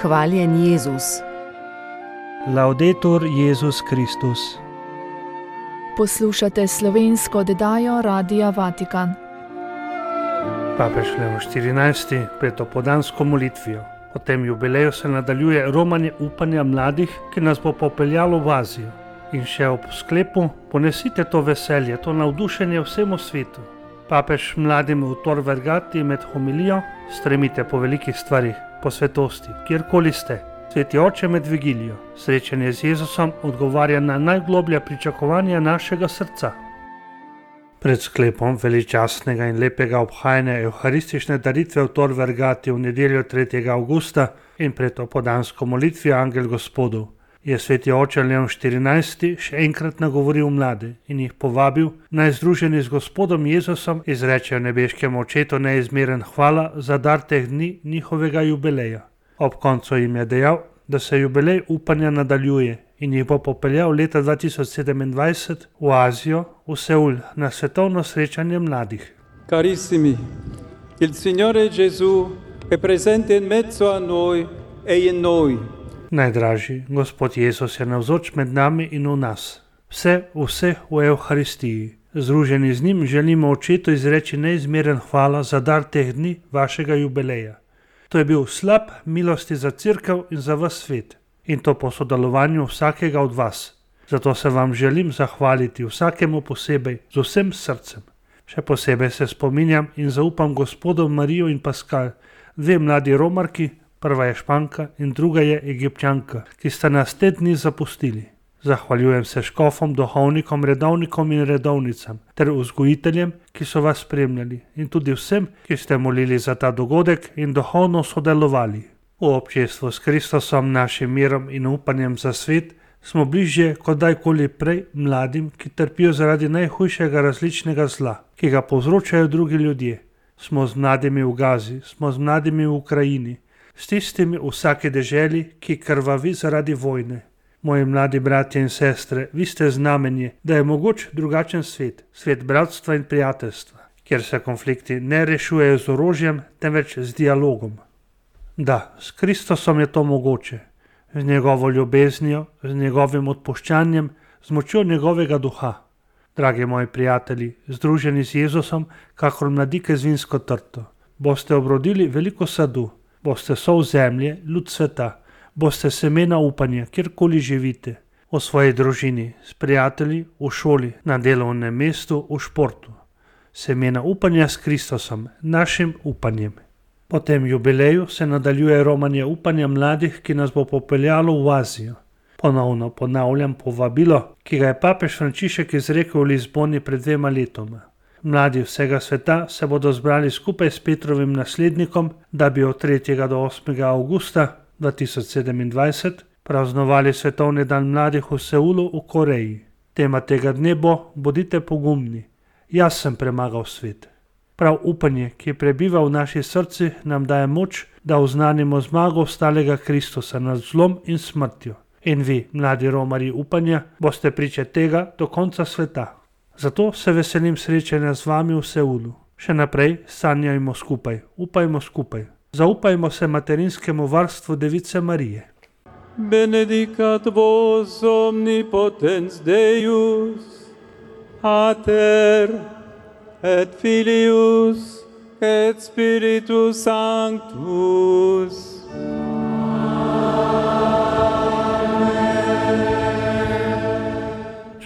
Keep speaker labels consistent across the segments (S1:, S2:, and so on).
S1: Hvaljen Jezus.
S2: Laudetur Jezus Kristus.
S3: Poslušate slovensko oddajo Radia Vatikan.
S2: Papež Leon XIV pred opoldansko molitvijo. Po tem jubileju se nadaljuje romanje upanja mladih, ki nas bo popeljalo v Azijo. In še ob sklepu: ponesite to veselje, to navdušenje vsemu svetu. Papež mladim v Tor Vergati med homilijo: stremite po velikih stvarih, po svetosti, kjerkoli ste. Sveti oče med vigilijo, srečanje z Jezusom odgovarja na najgloblja pričakovanja našega srca. Pred sklepom veličastnega in lepega obhajanja evharistične daritve v Tor Vergati v nedeljo 3. avgusta in pred opoldansko molitvijo Angel Gospodov je sveti oče Leon XIV še enkrat nagovoril mlade in jih povabil, naj združeni z Gospodom Jezusom izrečejo nebeškemu očetu neizmeren hvala za dar teh dni njihovega jubileja. Ob koncu jim je dejal, da se jubilej upanja nadaljuje in jih bo popeljal leta 2027 v Azijo, v Seul, na svetovno srečanje mladih.
S4: Carissimi, il Signore Gesù è presente in mezzo a noi e in noi.
S2: Najdražji, Gospod Jezus je navzoč med nami in v nas. Vse v Evharistiji. Združeni z njim želimo očetu izreči neizmeren hvala za dar teh dni vašega jubileja. To je bil slab milosti za Cerkev in za vas svet. In to po sodelovanju vsakega od vas. Zato se vam želim zahvaliti vsakemu posebej, z vsem srcem. Še posebej se spominjam in zaupam Gospodu Marijo in Paskal, dve mladi Romarki, prva je Španka in druga je Egipčanka, ki sta nas te dni zapustili. Zahvaljujem se škofom, duhovnikom, redovnikom in redovnicam ter vzgojiteljem, ki so vas spremljali, in tudi vsem, ki ste molili za ta dogodek in duhovno sodelovali. V občestvu s Kristusom, našim mirom in upanjem za svet, smo bližje kot dajkoli prej mladim, ki trpijo zaradi najhujšega različnega zla, ki ga povzročajo drugi ljudje. Smo z mladimi v Gazi, smo z mladimi v Ukrajini, s tistimi v vsaki deželi, ki krvavi zaradi vojne. Moji mladi bratje in sestre, vi ste znamenje, da je mogoč drugačen svet, svet bratstva in prijateljstva, kjer se konflikti ne rešujejo z orožjem, temveč z dialogom. Da, s Kristusom je to mogoče, z njegovo ljubeznijo, z njegovim odpuščanjem, z močjo njegovega duha. Dragi moji prijatelji, združeni z Jezusom, kakor mladike z vinsko trto, boste obrodili veliko sadu, boste sol zemlje, ljud sveta, boste semena upanja, kjerkoli živite, v svoji družini, s prijatelji, v šoli, na delovnem mestu, v športu. Semena upanja s Kristusom, našim upanjem. Po tem jubileju se nadaljuje romanje upanja mladih, ki nas bo popeljalo v Azijo. Ponovno ponavljam povabilo, ki ga je papež Frančišek izrekel v Lizboni pred 2 letoma. Mladi vsega sveta se bodo zbrali skupaj s Petrovim naslednikom, da bi od 3. do 8. avgusta 2027 praznovali svetovni dan mladih v Seulu v Koreji. Tema tega dne bo: bodite pogumni, jaz sem premagal svet. Prav upanje, ki prebiva v naših srcih, nam daje moč, da oznanimo zmago ostalega Kristusa nad zlom in smrtjo. In vi, mladi romarji upanja, boste priče tega do konca sveta. Zato se veselim srečanja z vami v Seulu. Še naprej sanjajmo skupaj, upajmo skupaj. Zaupajmo se materinskemu varstvu Device Marije.
S4: Benedicat vos omnipotens Deus, Pater et Filius et Spiritus Sanctus.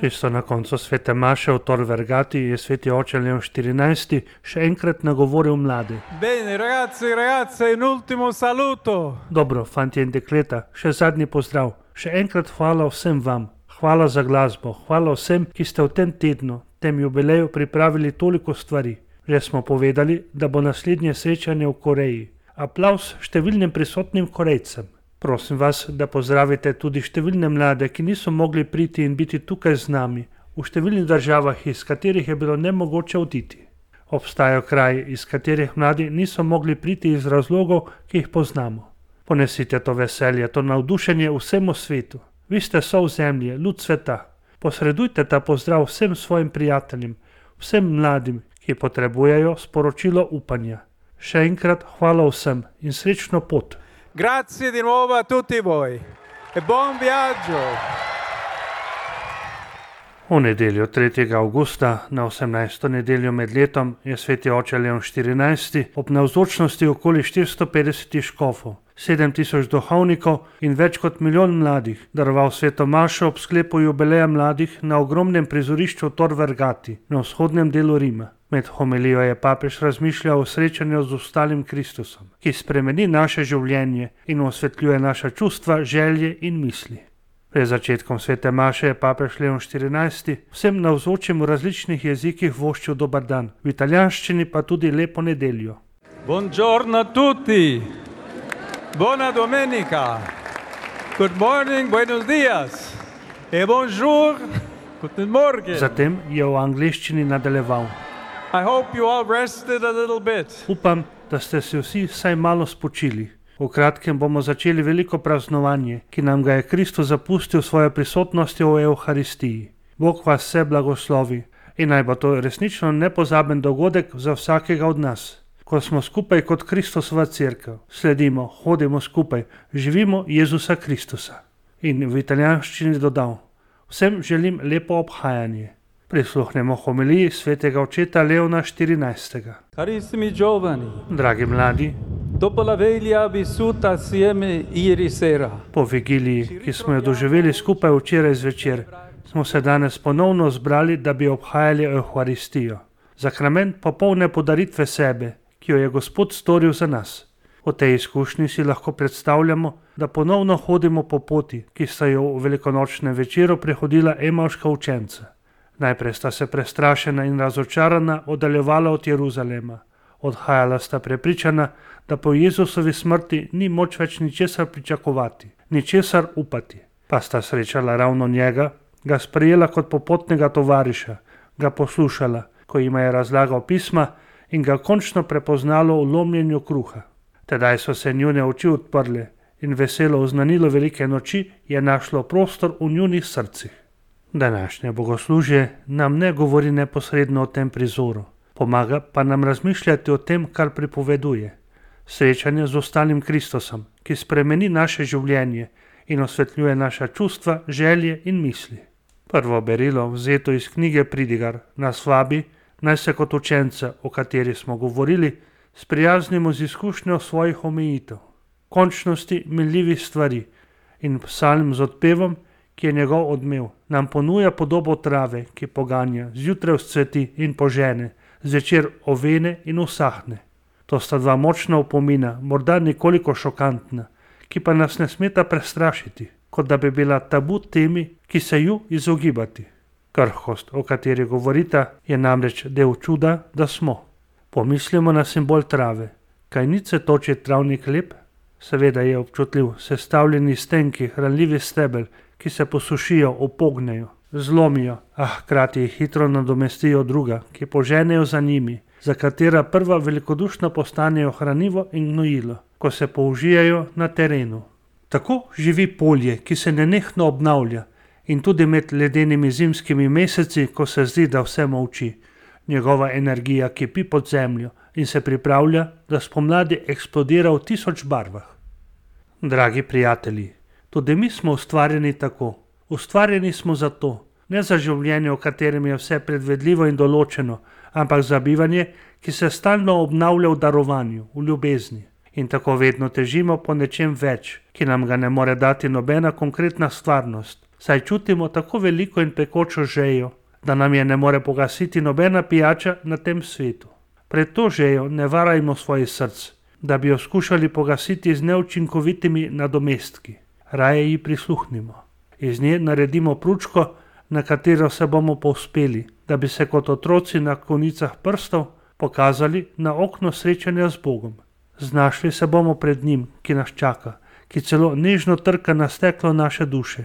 S2: Čisto na koncu svete maše v Tor Vergati je sveti oče Leon XIV še enkrat nagovoril mlade.
S4: Bene, ragazzi, ragazze, in ultimo saluto.
S2: Dobro, fantje in dekleta, še zadnji pozdrav. Še enkrat hvala vsem vam. Hvala za glasbo, hvala vsem, ki ste v tem tednu, tem jubileju pripravili toliko stvari. Že smo povedali, da bo naslednje srečanje v Koreji. Aplavz številnim prisotnim Korejcem. Prosim vas, da pozdravite tudi številne mlade, ki niso mogli priti in biti tukaj z nami, v številnih državah, iz katerih je bilo nemogoče oditi. Obstajajo kraji, iz katerih mladi niso mogli priti iz razlogov, ki jih poznamo. Ponesite to veselje, to navdušenje vsemu svetu. Vi ste sol zemlje, ljud sveta. Posredujte ta pozdrav vsem svojim prijateljem, vsem mladim, ki potrebujejo sporočilo upanja. Še enkrat hvala vsem in srečno pot.
S4: Grazie di nuovo a tutti voi e buon viaggio.
S2: V nedeljo 3. avgusta, na 18. nedeljo med letom, je sveti oče Leon XIV. Ob navzočnosti okoli 450 škofov, 7000 duhovnikov in več kot milijon mladih daroval sveto mašo ob sklepu jubileja mladih na ogromnem prizorišču Tor Vergati na vzhodnem delu Rima. Med homilijo je papež razmišljal o srečanju z ostalim Kristusom, ki spremeni naše življenje in osvetljuje naša čustva, želje in misli. Pred začetkom svete maše je papež Leon XIV. Vsem navzočim v različnih jezikih voščil dober dan, v italijanščini pa tudi lepo nedeljo.
S4: Buongiorno a tutti. Buona domenica. Good morning, buenos dias. E bonjour, guten Morgen.
S2: Zatem je v angleščini nadaljeval.
S4: I hope you all rested a little bit.
S2: Upam, da ste se vsi vsaj malo spočili. V kratkem bomo začeli veliko praznovanje, ki nam ga je Kristus zapustil svojo prisotnostjo v Evharistiji. Bog vas vse blagoslovi in naj bo to resnično nepozaben dogodek za vsakega od nas. Ko smo skupaj kot Kristusova cerkev, sledimo, hodimo skupaj, živimo Jezusa Kristusa. In v italijanščini dodal, vsem želim lepo obhajanje. Prisluhnemo homiliji svetega očeta Leona XIV.
S4: Carissimi giovani,
S2: Dragi mladi,
S4: dopo la veglia vissuta assieme ieri sera,
S2: po vigiliji, ki smo jo doživeli skupaj včeraj zvečer, smo se danes ponovno zbrali, da bi obhajali Evharistijo. Sakrament popolne podaritve sebe, ki jo je Gospod storil za nas. V tej izkušnji si lahko predstavljamo, da ponovno hodimo po poti, ki sta jo v velikonočnem večeru prehodila emavška učenca. Najprej sta se prestrašena in razočarana oddaljevala od Jeruzalema. Odhajala sta prepričana, da po Jezusovi smrti ni moč več ničesar pričakovati, ničesar upati. Pa sta srečala ravno njega, ga sprejela kot popotnega tovariša, ga poslušala, ko jima je razlagal pisma in ga končno prepoznalo v lomljenju kruha. Tedaj so se njune oči odprle in veselo oznanilo velike noči je našlo prostor v njunih srcih. Današnje bogoslužje nam ne govori neposredno o tem prizoru, pomaga pa nam razmišljati o tem, kar pripoveduje. Srečanje z ostalim Kristusom, ki spremeni naše življenje in osvetljuje naša čustva, želje in misli. Prvo berilo, vzeto iz knjige Pridigar, nas vabi, naj se kot učence, o kateri smo govorili, sprijaznimo z izkušnjo svojih omejitev, končnosti minljivih stvari in psalm z odpevom, ki je njegov odmev, nam ponuja podobo trave, ki poganja, zjutraj vzcveti in požene, zvečer ovene in usahne. To sta dva močna opomina, morda nekoliko šokantna, ki pa nas ne smeta prestrašiti, kot da bi bila tabu temi, ki se ju izogibati. Krhkost, o kateri govorita, je namreč del čuda, da smo. Pomislimo na simbol trave. Kaj ni cvetoči travnik lep? Seveda je občutljiv, sestavljeni iz tenkih, ranljivih stebel, ki se posušijo, opognejo, zlomijo, a hkrati jih hitro nadomestijo druga, ki poženejo za njimi, za katera prva velikodušno postanejo hranivo in gnojilo, ko se použijajo na terenu. Tako živi polje, ki se nenehno obnavlja in tudi med ledenimi zimskimi meseci, ko se zdi, da vse molči. Njegova energija kipi pod zemljo in se pripravlja, da spomladi eksplodira v 1000 barvah. Dragi prijatelji, tudi mi smo ustvarjeni tako. Ustvarjeni smo za to, ne za življenje, v katerem je vse predvedljivo in določeno, ampak za bivanje, ki se stalno obnavlja v darovanju, v ljubezni. In tako vedno težimo po nečem več, ki nam ga ne more dati nobena konkretna stvarnost, saj čutimo tako veliko in pekočo žejo, da nam je ne more pogasiti nobena pijača na tem svetu. Pred to žejo ne varajmo svojih src, da bi jo skušali pogasiti z neučinkovitimi nadomestki. Raje ji prisluhnimo. Iz nje naredimo pručko, na katero se bomo povzpeli, da bi se kot otroci na konicah prstov pokazali na okno srečanja z Bogom. Znašli se bomo pred njim, ki nas čaka, ki celo nežno trka na steklo naše duše.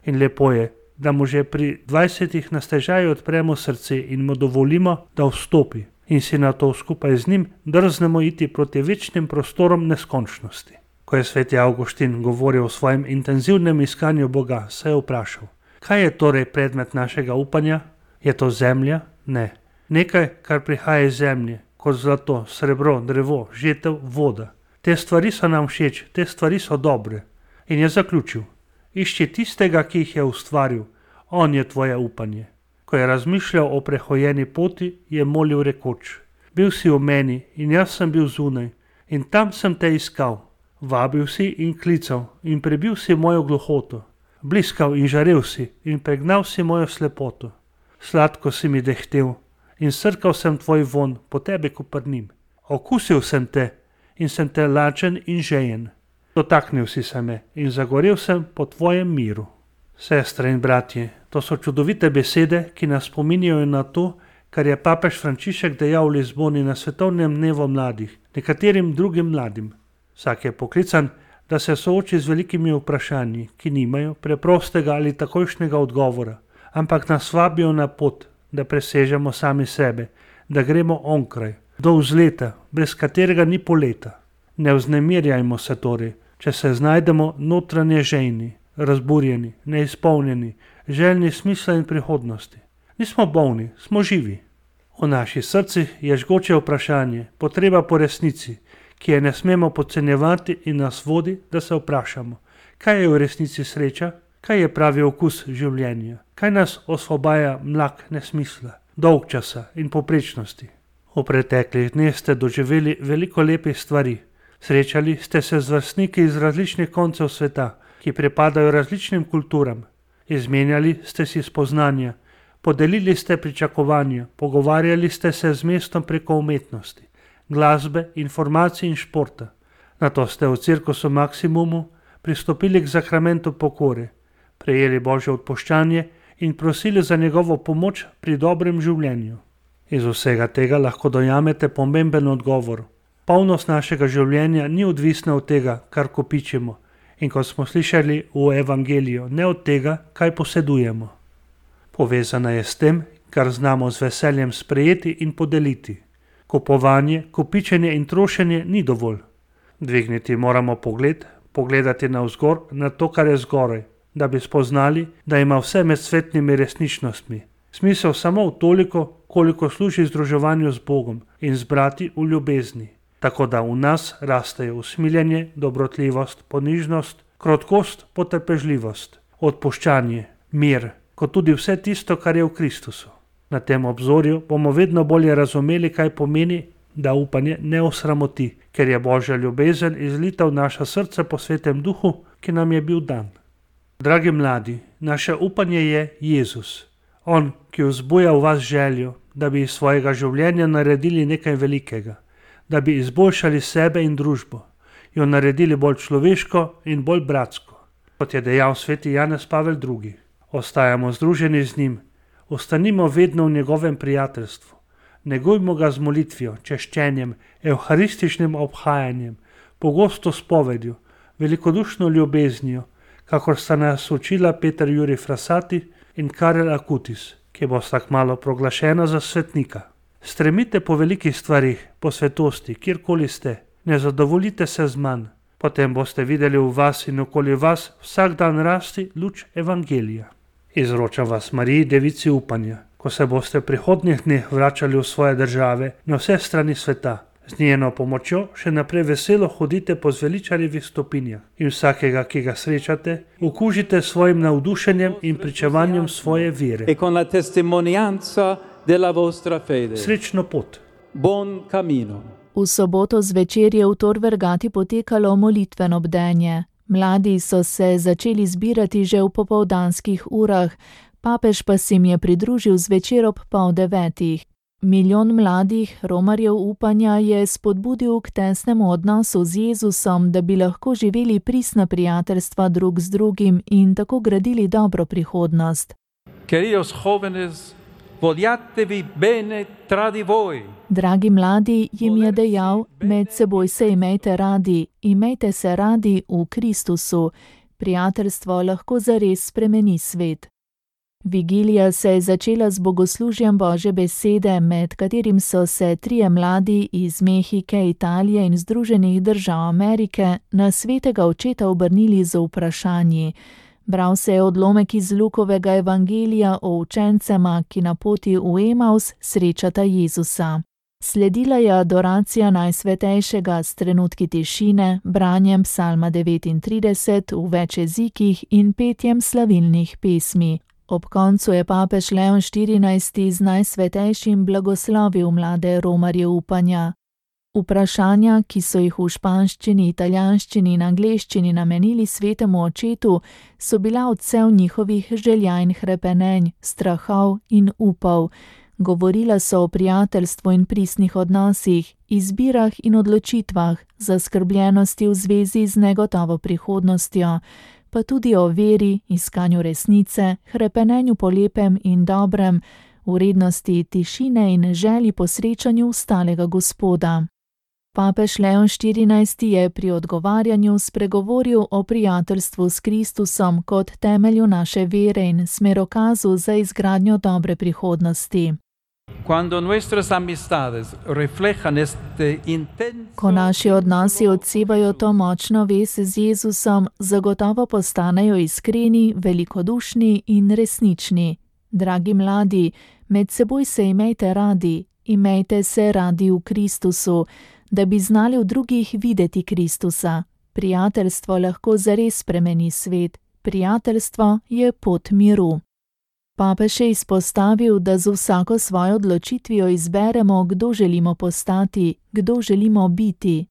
S2: In lepo je, da mu že pri 20 na stežaju odpremo srce in mu dovolimo, da vstopi in si na to skupaj z njim drznemo iti proti večnim prostorom neskončnosti. Ko je sveti Avguštin govoril o svojem intenzivnem iskanju Boga, se je vprašal, kaj je torej predmet našega upanja? Je to zemlja? Ne. Nekaj, kar prihaja iz zemlje, kot zlato, srebro, drevo, žetev, voda. Te stvari so nam všeč, te stvari so dobre. In je zaključil: išči tistega, ki jih je ustvaril, on je tvoje upanje. Ko je razmišljal o prehojeni poti, je molil rekoč: bil si v meni in jaz sem bil zunaj in tam sem te iskal. Vabil si in klical in prebil si mojo gluhoto. Bliskal in žarel si in pregnal si mojo slepoto. Sladko si mi dehtel in srkal sem tvoj von po tebi koprnim. Okusil sem te in sem te lačen in žejen. Dotaknil si se me in zagorel sem po tvojem miru. Sestre in bratje, to so čudovite besede, ki nas spominjajo na to, kar je papež Frančišek dejal v Lizboni na svetovnem dnevu mladih, nekaterim drugim mladim. Vsak je poklican, da se sooči z velikimi vprašanji, ki nimajo preprostega ali takojšnjega odgovora, ampak nas vabijo na pot, da presežemo sami sebe, da gremo onkraj, do vzleta, brez katerega ni poleta. Ne vznemirjajmo se torej, če se znajdemo notranje žejni, razburjeni, neizpolnjeni, željni smisla in prihodnosti. Nismo bolni, smo živi. V naših srcih je žgoče vprašanje, potreba po resnici, ki je ne smemo podcenjevati in nas vodi, da se vprašamo, kaj je v resnici sreča, kaj je pravi okus življenja, kaj nas osvobaja mlak nesmisla, dolgčasa in povprečnosti. V preteklih dneh ste doživeli veliko lepih stvari. Srečali ste se z vrstniki iz različnih koncev sveta, ki pripadajo različnim kulturam. Izmenjali ste si spoznanja, podelili ste pričakovanja, pogovarjali ste se z mestom preko umetnosti, glasbe, informacij in športa. Nato ste v Cirkusu Maximumu pristopili k zakramentu pokore, prejeli Božje odpuščanje in prosili za njegovo pomoč pri dobrem življenju. Iz vsega tega lahko dojamete pomemben odgovor. Polnost našega življenja ni odvisna od tega, kar kopičimo, in kot smo slišali v evangeliju, ne od tega, kaj posedujemo. Povezana je s tem, kar znamo z veseljem sprejeti in podeliti. Kupovanje, kopičenje in trošenje ni dovolj. Dvigniti moramo pogled, pogledati navzgor na to, kar je zgoraj, da bi spoznali, da ima vse med svetnimi resničnostmi smisel samo v toliko, koliko služi združevanju z Bogom in z brati v ljubezni. Tako da v nas rastejo usmiljenje, dobrotljivost, ponižnost, krotkost, potrpežljivost, odpuščanje, mir, kot tudi vse tisto, kar je v Kristusu. Na tem obzorju bomo vedno bolje razumeli, kaj pomeni, da upanje ne osramoti, ker je Božja ljubezen izlita v naša srca po Svetem Duhu, ki nam je bil dan. Dragi mladi, naše upanje je Jezus. On, ki vzbuja v vas željo, da bi iz svojega življenja naredili nekaj velikega, da bi izboljšali sebe in družbo, jo naredili bolj človeško in bolj bratsko. Kot je dejal sveti Janez Pavel II. Ostajamo združeni z njim, ostanimo vedno v njegovem prijateljstvu, negujmo ga z molitvijo, češčenjem, evharističnim obhajanjem, pogosto spovedjo, velikodušno ljubeznijo, kakor sta nas učila Peter Jurij Frassati in Karel Akutis, ki bosta kmalu proglašena za svetnika. Stremite po velikih stvarih, po svetosti, kjerkoli ste, ne zadovoljite se z manj, potem boste videli v vas in okoli vas vsak dan rasti luč evangelija. Izročam vas Mariji, devici upanja, ko se boste v prihodnjih dneh vračali v svoje države na vse strani sveta. Z njeno pomočjo še naprej veselo hodite po zveličarjevih stopinjah in vsakega, ki ga srečate, okužite s svojim navdušenjem in pričevanjem svoje vere.
S4: E con la testimonianza della vostra fede.
S2: Srečno pot.
S4: Buon cammino.
S3: V soboto zvečer je v Tor Vergati potekalo molitveno bdenje. Mladi so se začeli zbirati že v popoldanskih urah, papež pa se jim je pridružil zvečer ob 8:30. Milijon mladih romarjev upanja je spodbudil k tesnemu odnosu z Jezusom, da bi lahko živeli pristna prijateljstva drug z drugim in tako gradili dobro prihodnost.
S4: Queridos jóvenes, vogliatevi bene tra di voi.
S3: Dragi mladi, jim je dejal, med seboj se imejte se radi v Kristusu. Prijateljstvo lahko zares spremeni svet. Vigilija se je začela z bogoslužjem Božje besede, med katerim so se 3 mladi iz Mehike, Italije in Združenih držav Amerike na svetega očeta obrnili z vprašanji. Bral se je odlomek iz Lukovega evangelija o učencema, ki na poti v Emaus srečata Jezusa. Sledila je adoracija Najsvetejšega s trenutki tišine, branjem psalma 39 v več jezikih in petjem slavilnih pesmi. Ob koncu je papež Leon XIV z Najsvetejšim blagoslovil mlade romarje upanja. Vprašanja, ki so jih v španščini, italijanščini in angleščini namenili svetemu očetu, so bila odsev njihovih želja in hrepenenj, strahov in upov. Govorila so o prijateljstvu in pristnih odnosih, izbirah in odločitvah, zaskrbljenosti v zvezi z negotovo prihodnostjo, pa tudi o veri, iskanju resnice, hrepenenju po lepem in dobrem, vrednosti tišine in želji po srečanju ustalega Gospoda. Papež Leon XIV je pri odgovarjanju spregovoril o prijateljstvu s Kristusom kot temelju naše vere in smerokazu za izgradnjo dobre prihodnosti. Ko naši odnosi odsevajo to močno vez z Jezusom, zagotovo postanejo iskreni, velikodušni in resnični. Dragi mladi, med seboj se imejte se radi v Kristusu, da bi znali v drugih videti Kristusa. Prijateljstvo lahko zares spremeni svet. Prijateljstvo je pot miru. Papež je izpostavil, da z vsako svojo odločitvijo izberemo, kdo želimo postati, kdo želimo biti.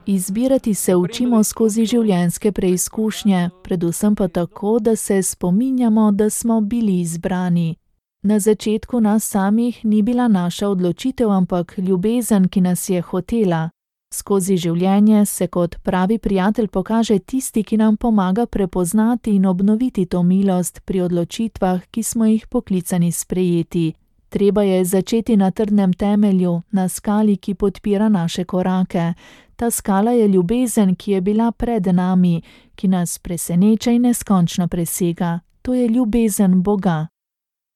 S3: Izbirati se učimo skozi življenjske preizkušnje, predvsem pa tako, da se spominjamo, da smo bili izbrani. Na začetku nas samih ni bila naša odločitev, ampak ljubezen, ki nas je hotela. Skozi življenje se kot pravi prijatelj pokaže tisti, ki nam pomaga prepoznati in obnoviti to milost pri odločitvah, ki smo jih poklicani sprejeti. Treba je začeti na trdnem temelju, na skali, ki podpira naše korake. Ta skala je ljubezen, ki je bila pred nami, ki nas preseneča in neskončno presega. To je ljubezen Boga.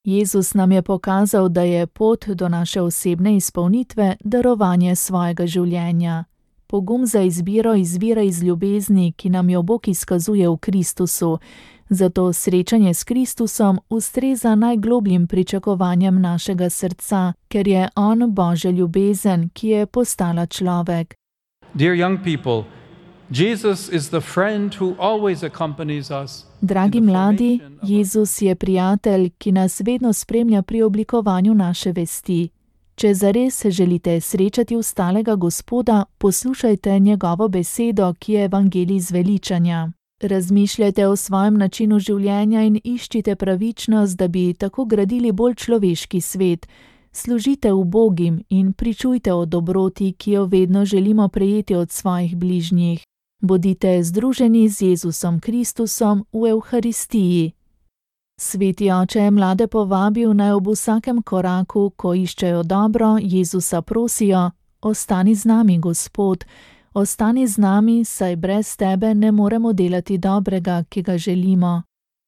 S3: Jezus nam je pokazal, da je pot do naše osebne izpolnitve darovanje svojega življenja. Pogum za izbiro izvira iz ljubezni, ki nam jo Bog izkazuje v Kristusu. Zato srečanje s Kristusom ustreza najglobljim pričakovanjem našega srca, ker je on Božja ljubezen, ki je postala človek.
S4: Dear young people, Jesus is the friend who always accompanies us.
S3: Dragi mladi, Jezus je prijatelj, ki nas vedno spremlja pri oblikovanju naše vesti. Če zares želite srečati ustalega Gospoda, poslušajte njegovo besedo, ki je evangelij zveličanja. Razmišljajte o svojem načinu življenja in iščite pravičnost, da bi tako gradili bolj človeški svet. Služite ubogim in pričujte o dobroti, ki jo vedno želimo prejeti od svojih bližnjih. Bodite združeni z Jezusom Kristusom v Evharistiji. Sveti oče je mlade povabil, naj ob vsakem koraku, ko iščejo dobro, Jezusa prosijo: ostani z nami, Gospod, ostani z nami, saj brez tebe ne moremo delati dobrega, ki ga želimo.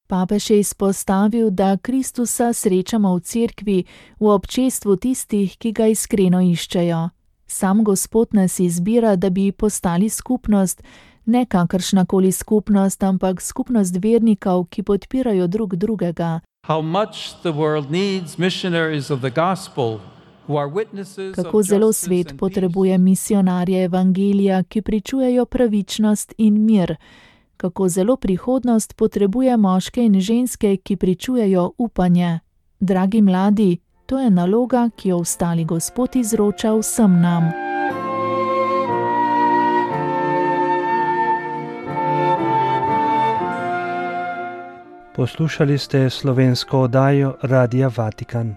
S3: Papež je izpostavil, da Kristusa srečamo v cerkvi, v občestvu tistih, ki ga iskreno iščejo. Sam Gospod nas izbira, da bi postali skupnost, ne kakršnakoli skupnost, ampak skupnost vernikov, ki podpirajo drug drugega. Kako zelo svet potrebuje misionarje evangelija, ki pričujejo pravičnost in mir. Kako zelo prihodnost potrebuje moške in ženske, ki pričujejo upanje. Dragi mladi, to je naloga, ki jo ustali Gospod izroča vsem nam.
S2: Poslušali ste slovensko oddajo Radia Vatikan.